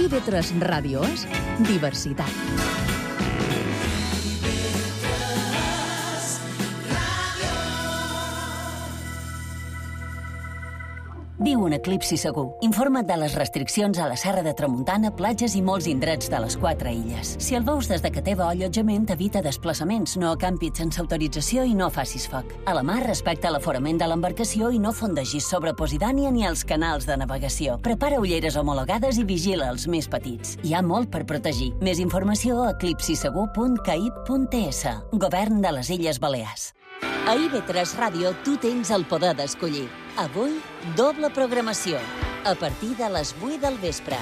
IB3 Ràdio és diversitat. Viu un eclipsi segur. Informa't de les restriccions a la Serra de Tramuntana, platges i molts indrets de les 4 illes. Si el veus des de que teva allotjament, evita desplaçaments, no acampis sense autorització i no facis foc. A la mar, respecta l'aforament de l'embarcació i no fondegis sobre Posidònia ni els canals de navegació. Prepara ulleres homologades i vigila els més petits. Hi ha molt per protegir. Més informació a eclipsisegur.caip.ts. Govern de les Illes Balears. A IB3 Ràdio tu tens el poder d'escollir. Avui, doble programació, a partir de les 8 del vespre.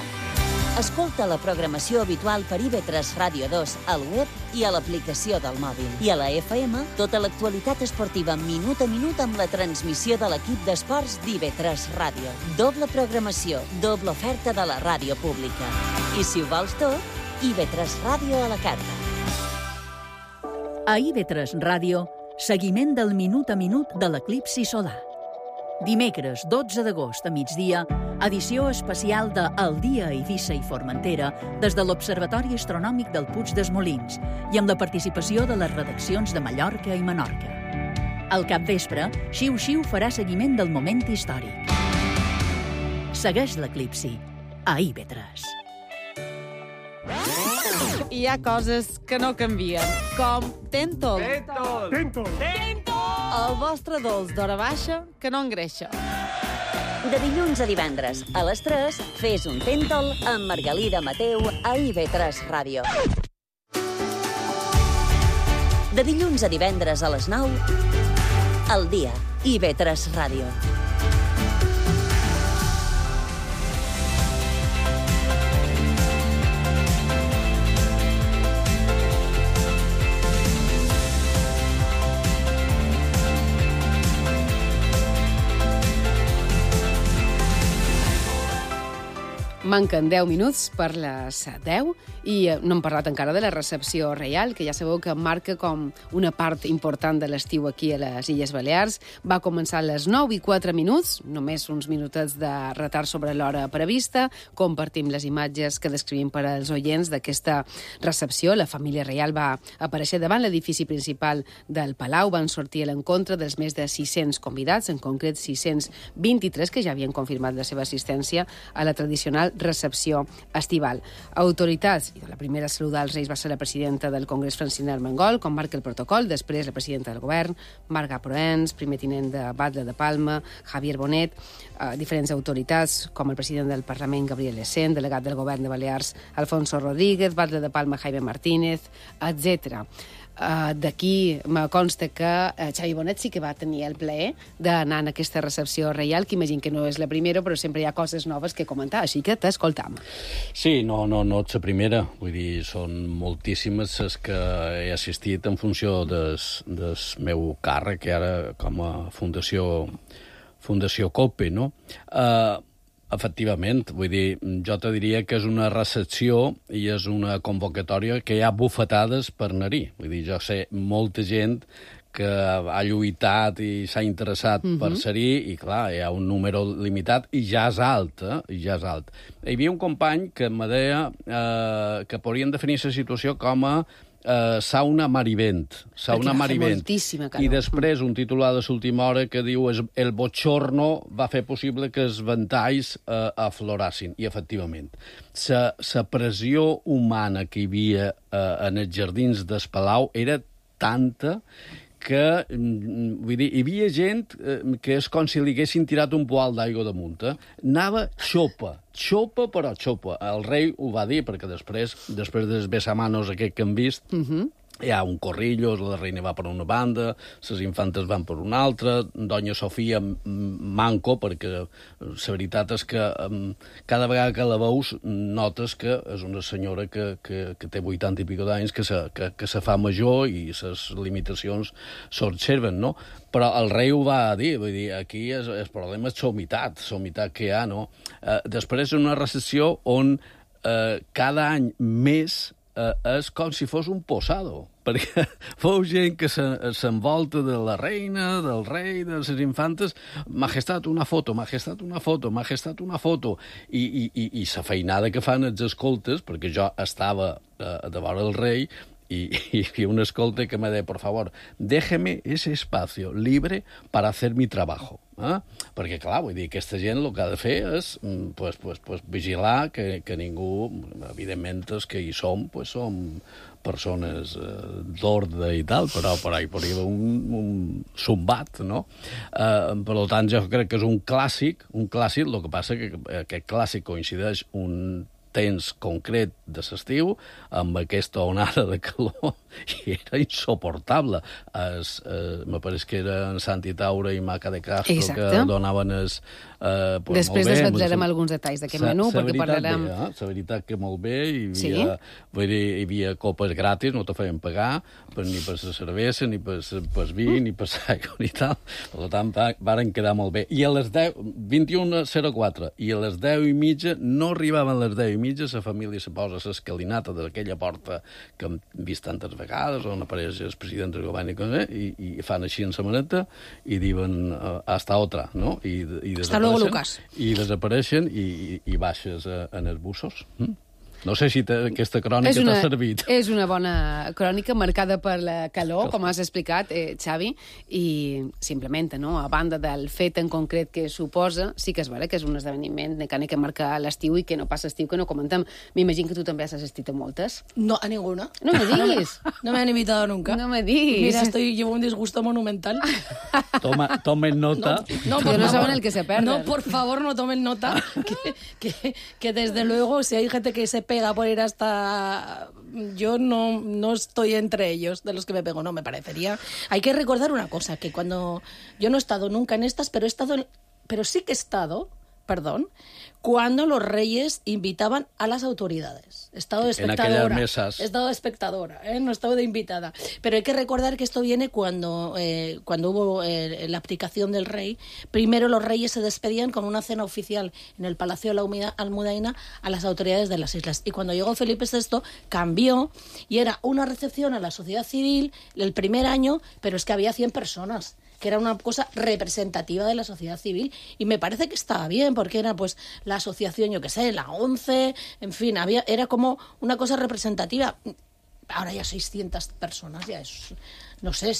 Escolta la programació habitual per IB3 Ràdio 2 al web i a l'aplicació del mòbil. I a la FM, tota l'actualitat esportiva minut a minut amb la transmissió de l'equip d'esports d'IB3 Ràdio. Doble programació, doble oferta de la ràdio pública. I si ho vols tot, IB3 Ràdio a la carta. A IB3 Ràdio, seguiment del minut a minut de l'eclipsi solar. Dimecres 12 d'agost a migdia, edició especial de El dia a Eivissa i Formentera des de l'Observatori Astronòmic del Puig dels Molins i amb la participació de les redaccions de Mallorca i Menorca. Al capvespre, Xiu Xiu farà seguiment del moment històric. Segueix l'eclipsi a IB3. Hi ha coses que no canvien, com Tentol. Tentol! El vostre dolç d'hora baixa que no engreixa. De dilluns a divendres, a les 3, fes un Tentol amb Margalida Mateu a IB3 Ràdio. De dilluns a divendres a les 9, El dia, IB3 Ràdio. Manquen 10 minuts per les 10 i no hem parlat encara de la recepció reial, que ja sabeu que marca com una part important de l'estiu aquí a les Illes Balears. Va començar a les 9:04, només uns minutets de retard sobre l'hora prevista. Compartim les imatges que descrivim per als oients d'aquesta recepció. La família reial va aparèixer davant l'edifici principal del Palau, van sortir a l'encontre dels més de 600 convidats, en concret 623 que ja havien confirmat la seva assistència a la tradicional recepció estival. Autoritats, i la primera a saludar els Reis va ser la presidenta del Congrés, Francina Armengol, com marca el protocol, després la presidenta del govern, Marga Proens, primer tinent de Batlle de Palma, Javier Bonet, diferents autoritats, com el president del Parlament, Gabriel Essent, delegat del govern de Balears, Alfonso Rodríguez, Batlle de Palma, Jaime Martínez, etc. D'aquí me consta que Xavi Bonet sí que va tenir el plaer d'anar en aquesta recepció reial, que imagino que no és la primera, però sempre hi ha coses noves que comentar, així que t'escoltam. Sí, no ets la primera. Vull dir, són moltíssimes les que he assistit en funció del meu càrrec, ara com a Fundació COPE, no? Efectivament, vull dir, jo te diria que és una recepció i és una convocatòria que hi ha bufetades per anar-hi. Vull dir, jo sé molta gent que ha lluitat i s'ha interessat per ser-hi i, clar, hi ha un número limitat i ja és alt, i ja és alt. Hi havia un company que me deia que podrien definir la situació com a sauna marivent. Sauna marivent. I després un titular de l'última hora que diu el bochorno va fer possible que els ventalls aflorassin. I, efectivament, la pressió humana que hi havia en els jardins del Palau era tanta que, vull dir, hi havia gent que és com si li haguessin tirat un poal d'aigua damunt. Anava xopa, però xopa. El rei ho va dir, perquè després dels besamanos aquest que hem vist, hi ha un corrillo, la reina va per una banda, les infantes van per una altra, Doña Sofia manco, perquè la veritat és que cada vegada que la veus notes que és una senyora que té 80 i pico d'anys, que se fa major i les limitacions s'observen, no? Però el rei ho va dir, vull dir, aquí el problema és l'humitat que hi ha, no? Després és una recepció on cada any més és com si fos un posado, perquè fou gent que s'envolta de la reina, del rei, de les infantes, majestat, una foto, majestat, una foto, majestat, una foto, i la feinada que fan els escoltes, perquè jo estava de vora del rei, y vi un escolte que me dice, por favor, déjeme ese espacio libre para hacer mi trabajo. Perquè, clar, vull dir, aquesta gent el que ha de fer és vigilar que ningú, evidentment, els que hi som persones d'ordre i tal, però hi podria haver un zumbat, no? Per tant, jo crec que és un clàssic, el que passa que aquest clàssic coincideix un temps concret de l'estiu, amb aquesta onada de calor, i era insoportable. Me pareix que eren Santi Taura i Maca de Castro que donaven després desvetllarem alguns detalls d'aquest menú, perquè parlarem... La veritat que molt bé, hi havia copes gratis, no te feien pagar, ni per la cervesa, ni per vi, ni per l'aigua, ni tal. Per tant, varen quedar molt bé. I a les 21:04, i a les 10:30, no arribaven les 10:30, la família se posa l'escalinata d'aquella porta que hem vist tantes vegades, on apareix el president del govern i fan així en la maneta i diuen hasta otra, no? I desapareixen i baixes en els bussos. No sé si aquesta crònica t'ha servit. És una bona crònica marcada per la calor, com has explicat, Xavi, i simplement, no? A banda del fet en concret que suposa, sí que és vera que és un esdeveniment que marca l'estiu i que no passa estiu, que no comentem. M'imagino que tu també has assistit a moltes. No, a ninguna. No me diguis. No me han invitado nunca. No me diguis. Mira, llevo un disgusto monumental. Tomen nota. No saben el que se pierden. No, por favor, no tomen nota. Que desde luego, si hay gente que se pega por ir hasta... Yo no estoy entre ellos, de los que me pego, no, me parecería... Hay que recordar una cosa, que cuando... Yo no he estado nunca en estas, pero sí que he estado perdón, cuando los reyes invitaban a las autoridades. Estado de espectadora. En aquellas mesas. Estado de espectadora, no estado de invitada. Pero hay que recordar que esto viene cuando hubo la abdicación del rey. Primero los reyes se despedían con una cena oficial en el Palacio de la Almudaina a las autoridades de las islas. Y cuando llegó Felipe VI cambió y era una recepción a la sociedad civil el primer año, pero es que había 100 personas, que era una cosa representativa de la sociedad civil, y me parece que estaba bien, porque era pues la asociación, yo qué sé, la ONCE, en fin, era como una cosa representativa. Ahora ya 600 personas, ya es... No sé,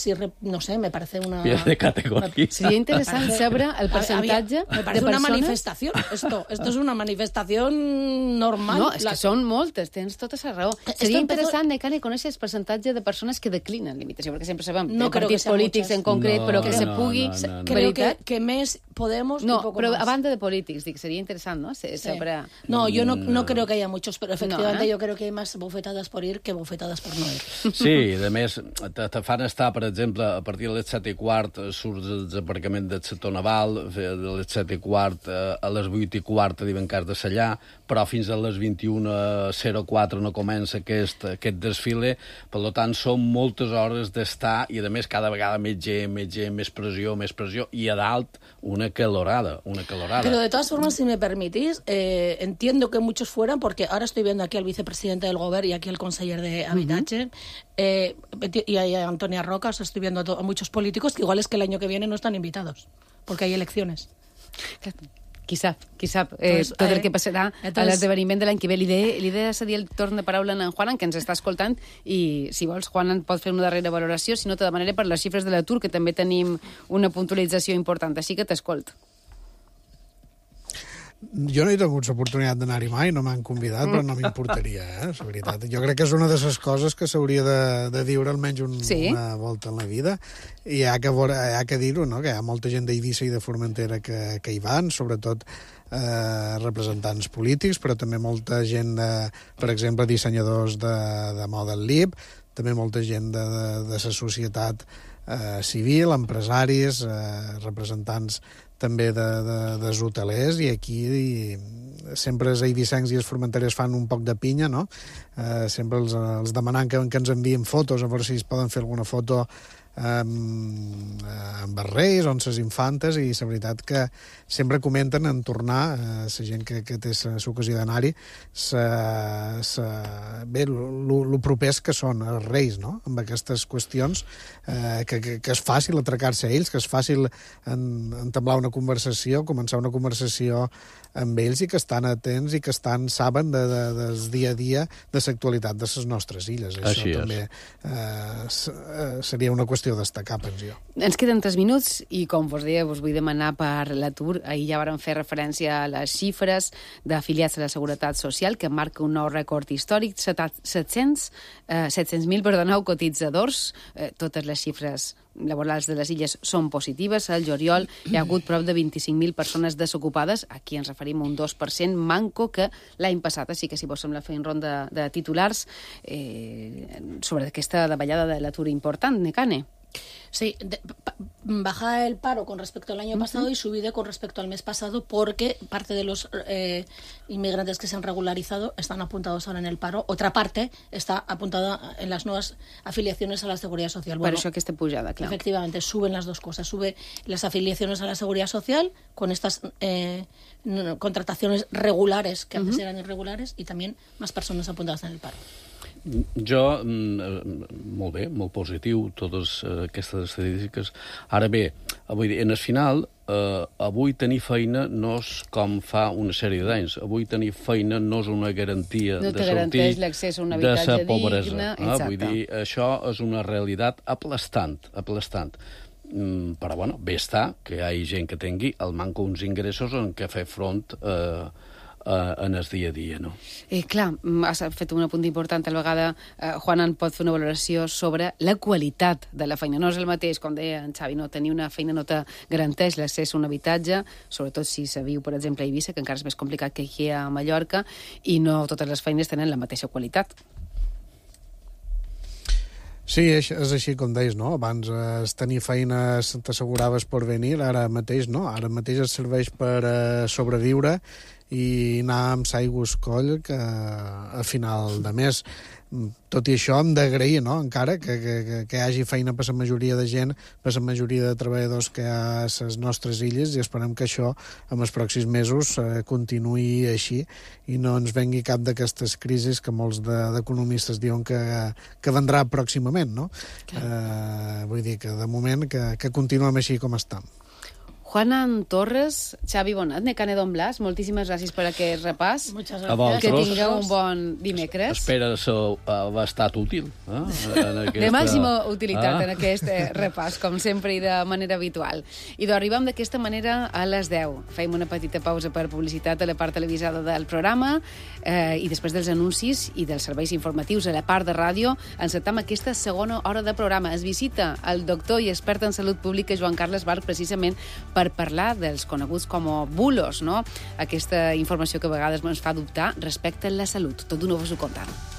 me parece una... Pierde categoría. Seria interessant saber el percentatge me parece una manifestación. Esto es una manifestación normal. No, és que són moltes, tens tota la raó. Seria interessant, Necane, conèixer el percentatge de persones que declinen la invitació, perquè sempre sabem de partits polítics en concret, però que se pugui... Creo que més Podemos no, un poco pero más. a banda de polítics, dic, sería interesante, ¿no? Sabrá... No, yo no creo que haya muchos, pero efectivamente yo creo que hay más bofetadas por ir que bofetadas por no ir. Sí, a més, te fan estar, per exemple, a partir de les 7:15 surts del desembarcament del sector naval, de les 7:15 a les 8:15 diuen que has de sellar, però fins a les 21:04 no comença aquest desfile, per tant són moltes hores d'estar i a més cada vegada més gent, més pressió, i a dalt una calorada. Pero de todas formas, si me permitís, entiendo que muchos fueran, porque ahora estoy viendo aquí al vicepresidente del Govern y aquí al conseller de Habitatge, y a Antonia Roca, estoy viendo a muchos políticos que igual es que el año que viene no están invitados, porque hay elecciones. Qui sap, tot el que passarà a l'esdeveniment de l'any que ve. Li he de cedir el torn de paraula a en Juanan, que ens està escoltant, i si vols, Juanan, pot fer una darrera valoració, si no te demanaré per les xifres de l'atur, que també tenim una puntualització important, així que t'escolt. Jo no he tingut l'oportunitat d'anar-hi mai, no m'han convidat, però no m'importaria, la veritat. Jo crec que és una de les coses que s'hauria de viure almenys una volta en la vida, i hi ha que dir-ho, no? Que hi ha molta gent d'Eivissa i de Formentera que hi van, sobretot representants polítics, però també molta gent, per exemple, dissenyadors de Model Lib, també molta gent de la societat civil, empresaris, representants també dels hotelers, i aquí sempre els eivissencs i els formenterers fan un poc de pinya, no? Sempre els demanant que ens envien fotos, a veure si es poden fer alguna foto amb els reis o amb les infantes, i la veritat que sempre comenten en tornar, la gent que té l'ocasió d'anar-hi, bé, el propers que són els reis, no?, amb aquestes qüestions, que és fàcil atracar-se a ells, que és fàcil entablar una conversació, començar una conversació amb ells, i que estan atents i que saben del dia a dia de l'actualitat de les nostres illes. Això també seria una qüestió a destacar, penso jo. Ens queden 3 minuts i, com vos deia, vos vull demanar per l'atur. Ahir ja vàrem fer referència a les xifres d'afiliats a la Seguretat Social, que marca un nou rècord històric, 700.000 cotitzadors. Totes les xifres laborals de les illes són positives. Al juliol hi ha hagut prop de 25.000 persones desocupades. Aquí ens referim a un 2% manco que l'any passat. Així que, si vos sembla, fer un ronda de titulars sobre aquesta davallada de l'atur important, Necane. Sí, baja el paro con respecto al año pasado y subida con respecto al mes pasado, porque parte de los inmigrantes que se han regularizado están apuntados ahora en el paro. Otra parte está apuntada en las nuevas afiliaciones a la Seguridad Social. Bueno, per això aquesta pujada, clar. Efectivamente, suben las dos cosas. Sube las afiliaciones a la Seguridad Social con estas contrataciones regulares, que antes eran irregulares, y también más personas apuntadas en el paro. Jo, molt bé, molt positiu, totes aquestes estadístiques. Ara bé, vull dir, en el final, avui tenir feina no és com fa una sèrie d'anys. Avui tenir feina no és una garantia de sortir de la pobresa. Vull dir, això és una realitat aplastant. Però, bueno, bé està que hi hagi gent que tingui el manco uns ingressos en què fer front en el dia a dia, no? Clar, has fet un apunt important. A la vegada, Juanan pot fer una valoració sobre la qualitat de la feina. No és el mateix, com deia en Xavi, no tenir una feina no te garanteix l'accés a un habitatge, sobretot si se viu, per exemple, a Eivissa, que encara és més complicat que aquí a Mallorca, i no totes les feines tenen la mateixa qualitat. Sí, és així com deies, no? Abans tenir feina t'asseguraves per venir, ara mateix no. Ara mateix et serveix per sobreviure i anar amb s'aigües coll que a final de mes. Tot i això hem d'agrair, no?, encara que hi hagi feina per la majoria de gent, per la majoria de treballadors que hi ha a les nostres illes, i esperem que això en els pròxims mesos continuï així i no ens vengui cap d'aquestes crisis que molts d'economistes diuen que vendrà pròximament, no? Vull dir que de moment que continuem així com estem. Juanan Torres, Xavi Bonat, Necane Don Blas, moltíssimes gràcies per aquest repàs. A vosaltres. Que tingueu un bon dimecres. Espera haver estat útil. De màxima utilitat en aquest repàs, com sempre i de manera habitual. I arribem d'aquesta manera a les 10. Fem una petita pausa per publicitat a la part televisada del programa i després dels anuncis i dels serveis informatius a la part de ràdio encetem aquesta segona hora de programa. Es visita el doctor i expert en salut pública Joan Carles Barc precisament per parlar dels coneguts com a bulos, no? Aquesta informació que a vegades ens fa dubtar respecte a la salut. Tot d'una vos ho contarà.